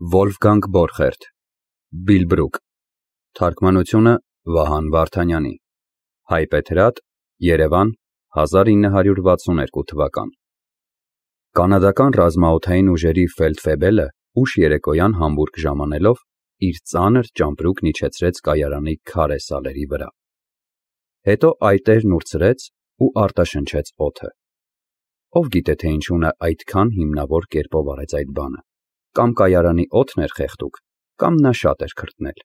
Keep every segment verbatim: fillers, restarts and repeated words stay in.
Վոլֆգանգ Բորխերտ, Բիլբրուկ, թարգմանությունը Վահան Վարդանյանի, հայբեթրատ, Երևան, հազար ինը հարյուր վաթսունութ թվական։ Կանադական ռազմաօդային ուժերի ֆելդֆեբելը ուշ երեկոյան Համբուրգ ժամանելով իր ծանր ճամպրուկն իջեցրեց կայարանի քարե սալերի վրա։ Հետո այտերն ուրցրեց ու արտաշնչեց օդը։ Ով գիտե թե ինչու նա այդքան հիմնավոր կերպով արեց այդ բանը, կամ կայարանի օդն էր խեղդուկ, կամ նա շատ էր քրտնել։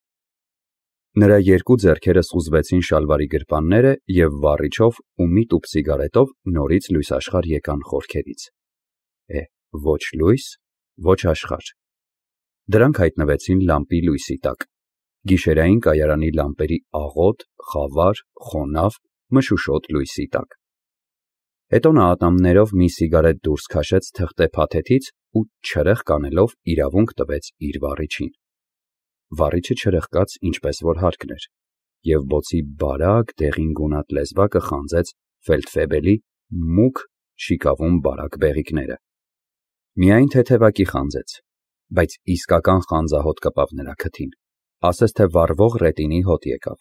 Նրա երկու ձեռքերը սուզվեցին շալվարի գրպանները և վառիչով ու մի տուփ սիգարետով նորից լույսաշխար եկան խորքերից։ Է, ոչ լույս, ոչ աշխարհ։ Դրանք հայտնվեցին լամպի լույսի տակ, գիշերային կայարանի լամպերի աղոտ, խավար, խոնավ, մշուշոտ լույսի տակ։ Հետո նա ատամներով մի սիգարետ դուրս քաշեց թղթե փաթեթից ու չրեխ կանելով իրավունք տվեց իր վառիչին։ Վառիչը չրխկաց ինչպես որ հարկն էր, և բոցի բարակ դեղին գունատ լեզվակը խանձեց ֆելդֆեբելի մուգ շիկավուն բարակ բեղիկները։ Միայն թեթևակի խանձեց, բայց իսկական խանձահոտ կպավ նրա քթին, ասես թե վառվող ռետինի հոտ եկավ։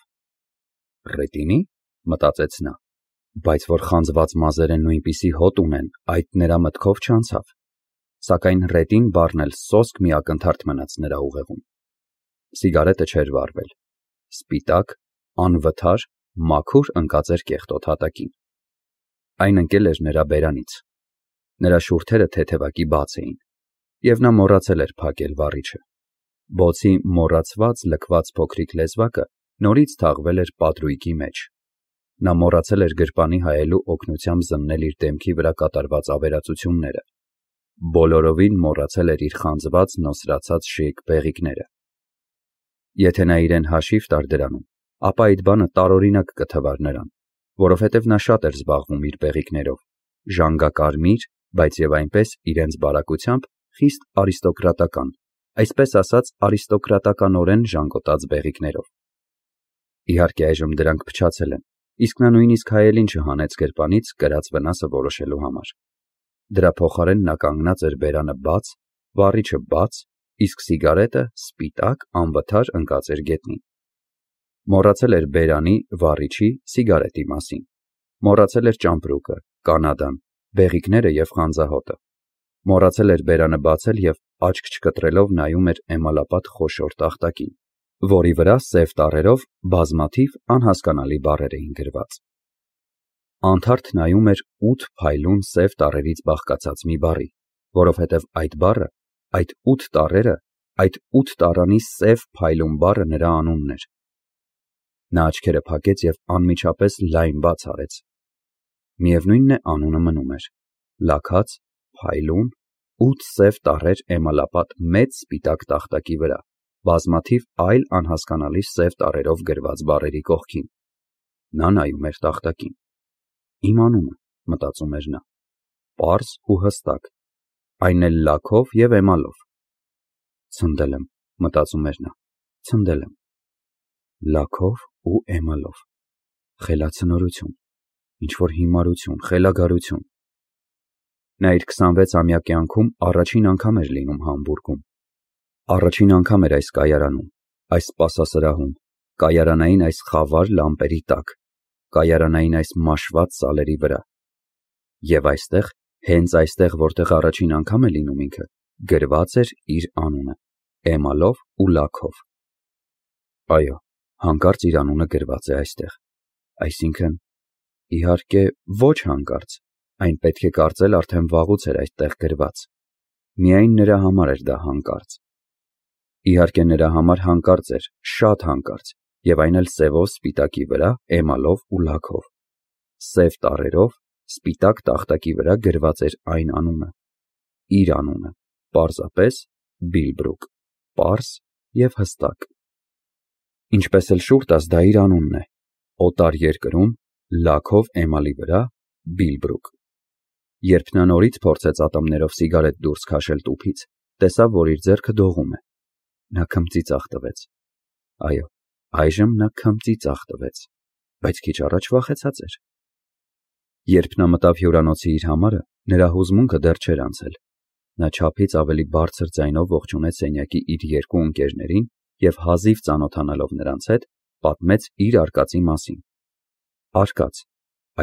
Ռետինի՞, մտածեց նա, բայց որ խանձված մազերը նույնպիսի հոտ ունեն, այդ նրա մտքով չանցավ, սակայն ռետին բառն էլ սոսկ մի ակնթարթ մնաց նրա ուղեղում։ Սիգարետը չէր վառվել, սպիտակ, անվթար, մաքուր ընկած էր կեղտոտ հատակին։ Այն ընկել էր նրա բերանից, նրա շուրթերը թեթևակի բաց էին, և նա մոռացել էր փակել վառիչը։ Բոցի մոռացված լքված փոքրիկ լեզվակը նորից թաղվել էր պատրույգի մեջ։ Նա մոռացել էր գրպանի հայելու օգնությամբ զննել իր դեմքի վրա կատարված ավերածությունները, բոլորովին մոռացել էր իր խանձված նոսրացած շիկ բեղիկները։ Եթե նա իրեն հաշիվ տար դրանում, ապա այդ բանը տարօրինակ կթվար նրան, որովհետև նա շատ էր զբաղվում իր բեղիկներով, ժանգակարմիր, բայց և այնպես իրենց բարակությամբ խիստ արիստոկրատական, այսպես ասած արիստոկրատականորեն ժանգոտած բեղիկներով։ Իհարկե այժմ դրանք փչացել են, իսկ նա նույնիսկ հայելին չհանեց գրպանից կրած վնասը որոշելու համար։ Դրա փոխարեն նա կանգնած էր բերանը բաց, վառիչը բաց, իսկ սիգարետը սպիտակ, անվթար ընկած էր գետնին։ Մոռացել էր բերանի, վառիչի, սիգարետի մասին։ Մոռացել էր ճամպրուկը, կանադան, բեղիկները և խանձահոտը։ Մոռացել էր բերանը բացել և աչք չկտրելով նայում էր էմալապատ խոշոր տախտակին, որի վրա սև տառերով բազմաթիվ անհասկանալի բառեր էին գրված։ Անթարթ նայում էր ութ փայլուն սև տառերից բաղկացած մի բառի, որովհետև այդ բառը, այդ ութ տառերը, այդ ութ տառանի սև փայլուն բառը նրա անունն էր։ Նա աչքերը փակեց և անմիջապես լայն բաց արեց։ Միևնույնն է, անունը մնում էր՝ լաքած, փայլուն, ութ սև տառեր էմալապատ մեծ սպիտակ տախտակի վրա, բազմաթիվ այլ անհասկանալի սև տառերով գրված բառերի կողքին։ Նա նայում էր տախտակին։ Իմ անունը, մտածում էր նա, պարզ ու հստակ, այն էլ լաքով և էմալով։ Ցնդել եմ, մտածում էր նա, ցնդել եմ։ Լաքով ու էմալով, խելացնորություն, ինչ-որ հիմարություն, խելագարություն։ Նա իր քսանվեցամյա կյանքում առաջին անգամ էր լինում Համբուրգում։ Առաջին անգամ էր այս կայարանում, այս սպասասրահում, կայարանային այս խավար լամպերի տակ, կայարանային այս մաշված սալերի վրա։ Եվ այստեղ, հենց այստեղ, որտեղ առաջին անգամ է լինում ինքը, գրված էր իր անունը, էմալով ու լաքով։ Այո, հանկարծ իր անունը գրված է այստեղ, այսինքն, իհարկե, ոչ հանկարծ, այն պետք է կարծել արդեն վաղուց էր այդտեղ գրված։ Միայն նրա համար էր դա հանկարծ։ Իհարկե նրա համար հանկարծ էր, շատ հանկարծ, և այն էլ սևով սպիտակի վրա, էմալով ու լաքով։ Սև տառերով, սպիտակ տախտակի վրա գրված էր այն անունը, իր անունը, պարզապես Բիլբրուկ, պարզ և հստակ։ Ինչպես էլ շուռ տաս, դա իր անունն է, օտար երկրում, լաքով էմալի վրա, Բիլբրուկ։ Երբ նա նորից փորձեց ատամներով սիգարետ դուրս քաշել տուփից, տեսավ, որ իր ձեռքը դողում է։ Նա քմծիծաղ տվեց։ Այո, այժմ նա քմծիծաղ տվեց, բայց քիչ առաջ վախեցած էր։ Երբ նա մտավ հյուրանոցի իր համարը, նրա հուզմունքը դեռ չէր անցել։ Նա չափից ավելի բարձր ձայնով ողջունեց սենյակի իր երկու ընկերներին և հազիվ ծանոթանալով նրանց հետ, պատմեց իր արկածի մասին։ Արկած,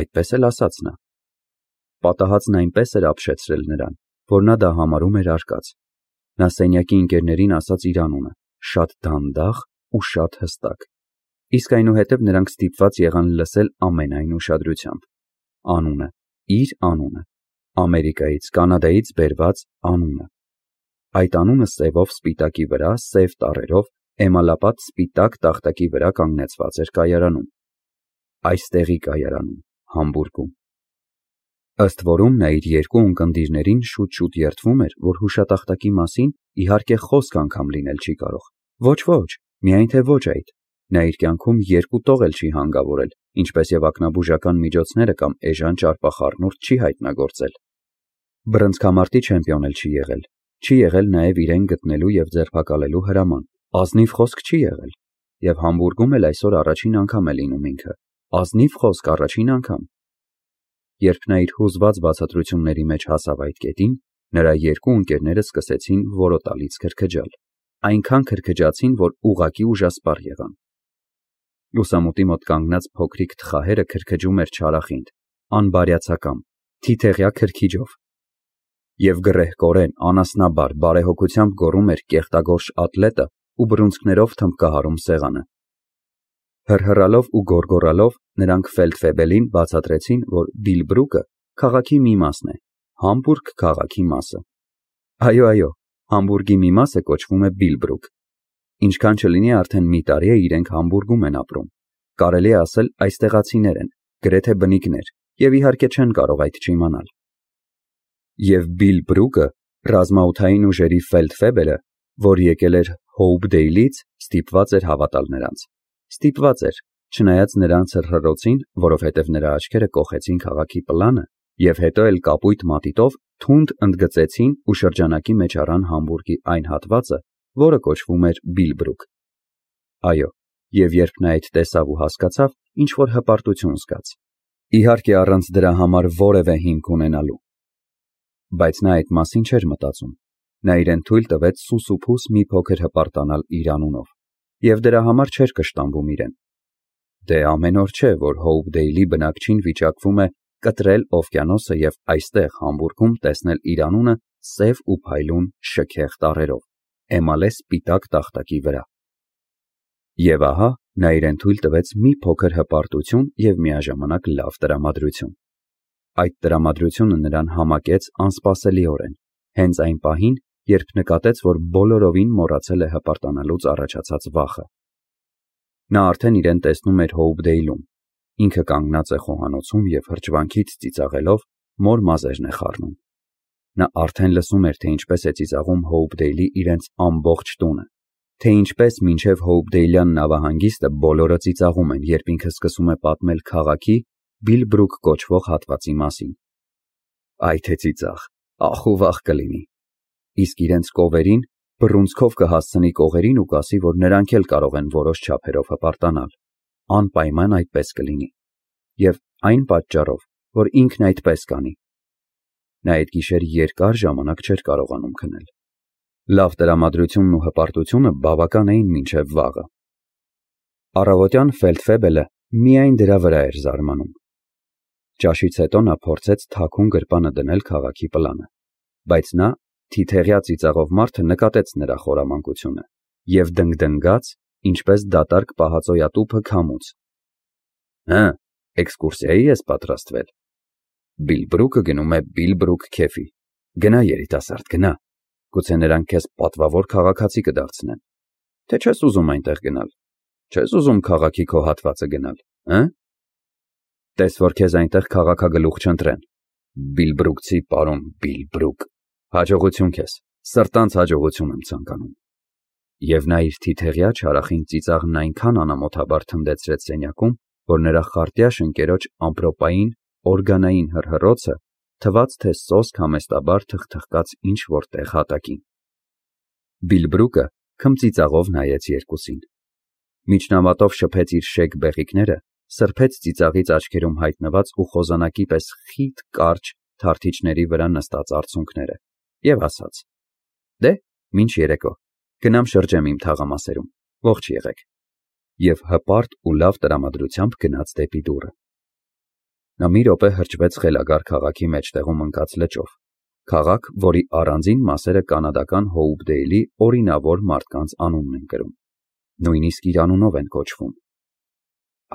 այդպես էլ ասաց նա։ Պատահածն այնպես էր ապշեցրել նրան, որ նա դա համարում էր արկած։ Նա սենյակի ընկերներին ասաց իր անունը, շատ դանդաղ ու շատ հստակ, իսկ այնուհետև նրանք ստիպված եղան լսել ամենայն ուշադրությամբ։ Անունը, իր անունը, Ամերիկայից, Կանադայից բերված անունը։ Այդ անունը սևով սպիտակի վրա, սև տառերով, էմալապատ սպիտակ տախտակի վրա կանգնեցված էր կայարանում։ Այստեղի կայարանում, Համբուրգում։ Ըստ որում նա իր երկու ունկնդիրներին շուտ-շուտ երդվում էր, որ հուշատախտակի մասին իհարկե խոսք անգամ լինել չի կարող։ Ոչ, ոչ, միայն թե ոչ այդ։ Նա իր կյանքում երկու տող էլ չի հանգավորել, ինչպես և ակնաբուժական միջոցները կամ էժան ճարպախառնուրդ չի հայտնագործել։ Բռնցքամարտի չեմպիոն էլ չի եղել, չի եղել նաև իրեն գտնելու և ձերբակալելու հրաման, ազնիվ խոսք չի եղել, և Համբուրգում էլ այսօր առաջին անգամ է լինում ինքը, ազնիվ խոսք առաջին անգամ։ Երբ նա իր հուզված բացատրությունների մեջ հասավ այդ կետին, նրա երկու ընկերները սկսեցին որոտալից քրքջալ, այնքան քրքջացին, որ ուղղակի ուժասպառ եղան։ Լուսամուտի մոտ կանգնած փոքրիկ թխահերը քրքջում էր չարախինդ, անբարյացակամ, թիթեղյա քրքիջով։ Եվ գռեհկորեն, անասնաբար, բարեհոգությամբ գոռում էր կեղտագորշ ատլետը ու բռունցքներով թմբկահարում սեղանը։ Հռհռալով ու գոռգոռալով նրանք ֆելդֆեբելին բացատրեցին, որ Բիլբրուկը քաղաքի մի մասն է, Համբուրգ քաղաքի մասը։ Այո, այո, Համբուրգի մի մասը կոչվում է Բիլբրուկ։ Ինչքան չլինի արդեն մի տարի է իրենք Համբուրգում են ապրում։ Կարելի է ասել այստեղացիներ են, գրեթե բնիկներ, և իհարկե չեն կարող այդ չիմանալ։ Եվ Բիլբրուկը, ռազմաօդային ուժերի ֆելդֆեբելը, որ եկել էր Հոուփդեյլից, ստիպված էր հավատալ նրանց։ Ստիպված էր, չնայած նրանց հռհռոցին, որովհետև նրա աչքերը կոխեցին քաղաքի պլանը, և հետո էլ կապույտ մատիտով թունդ ընդգծեցին ու շրջանակի մեջ առան Համբուրգի այն հատվածը, որը կոչվում էր Բիլբրուկ։ Այո, և երբ նա այդ տեսավ ու հասկացավ, ինչ-որ հպարտություն զգաց։ Իհարկե առանց դրա համար որևէ հիմք ունենալու։ Բայց նա այդ մասին չէր մտածում։ Նա իրեն թույլ տվեց սուսուփուս մի փոքր հպարտանալ իր անունով, և դրա համար չէր կշտամբում իրեն։ Դե ամեն օր չէ, որ Հոուփդեյլի բնակչին վիճակվում է կտրել օվկիանոսը և այստեղ Համբուրգում տեսնել իր անունը սև ու փայլուն շքեղ տառերով, էմալե սպիտակ տախտակի վրա։ Եվ ահա նա իրեն թույլ տվեց մի փոքր հպարտություն և միաժամանակ լավ տրամադրություն։ Այդ տրամադրությունը նրան համակեց անսպասելիորեն, հենց այն պահին, երբ նկատեց, որ բոլորովին մոռացել է հպարտանալուց առաջացած վախը։ Նա արդեն իրեն տեսնում էր Հոուփդեյլում, ինքը կանգնած է խոհանոցում և հրճվանքից ծիծաղելով մոր մազերն է խառնում։ Նա արդեն լսում էր, թե ինչպես է ծիծաղում Հոուփդեյլի իրենց ամբողջ տունը, թե ինչպես մինչև Հոուփդեյլյան նավահանգիստը բոլորը ծիծաղում են, երբ ինքը սկսում է պատմել քաղաքի Բիլբրուկ կոչվող հատվածի մասին։ Այ թե ծիծաղ, ախ ու վախ կլինի։ Իսկ իրենց կովերին բռունցքով կհասցնի կողերին ու կասի, որ նրանք էլ կարող են որոշ չափերով հպարտանալ։ Անպայման այդպես կլինի։ Եվ այն պատճառով, որ ինքն այդպես կանի։ Նա այդ գիշեր երկար ժամանակ չէր կարողանում քնել։ Լավ տրամադրությունն ու հպարտությունը բավական էին մինչև վաղը։ Առավոտյան ֆելդֆեբելը միայն դրա վրա էր զարմանում։ Ճաշից հետո նա փորձեց թաքուն գրպանը դնել քաղաքի պլանը, բայց նա, թիթեղյա ծիծաղով մարդը, նկատեց նրա խորամանկությունը և դնգդնգաց, ինչպես դատարկ պահածոյատուփը քամուց։ Հը, էքսկուրսիայի ես պատրաստվել։ Բիլբրուկը գնում է Բիլբրուկ քեֆի։ Գնա, երիտասարդ, գնա։ Գուցե նրանք քեզ պատվավոր քաղաքացի կդարձնեն։ Թե չես ուզում այնտեղ գնալ։ Չես ուզում քաղաքի քո հատվածը գնալ, հը՞։ Տես որ քեզ այնտեղ քաղաքագլուխ չընտրեն։ Բիլբրուկցի պարոն Բիլբրուկ։ Հաջողություն քեզ, սրտանց հաջողություն եմ ցանկանում։ Եվ նա իր թիթեղյա չարախին ծիծաղն այնքան անամոթաբար թնդեցրեց սենյակում, որ նրա խարտյաշ ընկերոջ ամպրոպային օրգանային հռհռոցը թվաց, թե սոսկ համեստաբար թխթխկաց ինչ-որ տեղ հատակին։ Բիլբրուկը քմծիծաղով նայեց երկուսին։ Միջնավատով շփեց իր շեկ բեղիկները, սրբեց ծիծաղից աչքերում հայտնված ու խոզանակի պես խիտ կարճ թարթիչների վրա նստած արցունքները և ասաց. «Դե, մինչ երեկո, գնամ շրջեմ իմ թաղամասերում, ողջ եղեք», և հպարտ ու լավ տրամադրությամբ գնաց դեպի դուռը։ Նա մի րոպե հրճվեց խելագար քաղաքի մեջտեղում ընկած լճով, քաղաք, որի առանձին մասերը կանադական Հոուպդեյլի օրինավոր մարդկանց անունն են կրում, նույնիսկ իր անունով են կոչվում։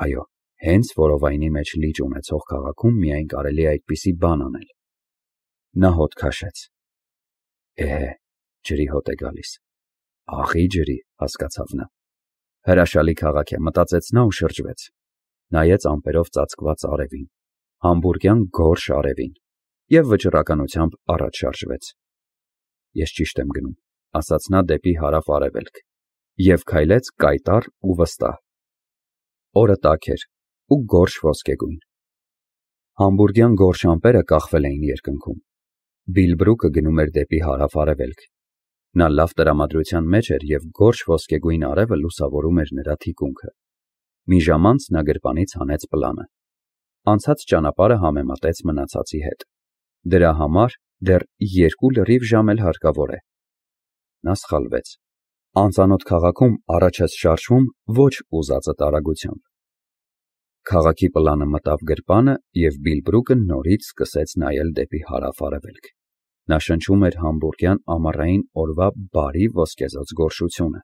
Այո, հենց որովայնի մեջ լիճ ունեցող քաղաքում միայն կարելի է այդպիսի բան անել։ Նա հոտ քաշեց։ Էհե, ջրի հոտ է գալիս։ Աղի ջրի, հասկացավ նա։ Հրաշալի քաղաք է, մտածեց նա ու շրջվեց։ Նայեց ամպերով ծածկված արևին, համբուրգյան գորշ արևին, և վճռականությամբ առաջ շարժվեց։ Ես ճիշտ եմ գնում, ասաց նա դեպի հարավ-արևելք, և քայլեց կայտառ ու վստահ։ Օրը տաք էր ու գորշ ոսկեգույն։ Համբուրգյան գորշ ամպերը կախվել էին երկնքում։ Բիլբրուկը գնում էր դեպի հարավ-արևելք։ Նա լավ տրամադրության մեջ էր և գորշ ոսկեգույն արևը լուսավորում էր նրա թիկունքը։ Մի ժամ անց նա գրպանից հանեց պլանը։ Անցած ճանապարհը համեմատեց մնացածի հետ։ Դրա համար դեռ երկու լրիվ ժամ էլ հարկավոր է։ Նա սխալվեց։ Անծանոթ քաղաքում առաջ ես շարժվում ոչ ուզածդ արագությամբ։ Քաղաքի պլանը մտավ գրպանը, և Բիլբրուկը նորից սկսեց նայել դեպի հարավ-արևելք։ Նա շնչում էր համբուրգյան ամառային օրվա բարի ոսկեզօծ գորշությունը։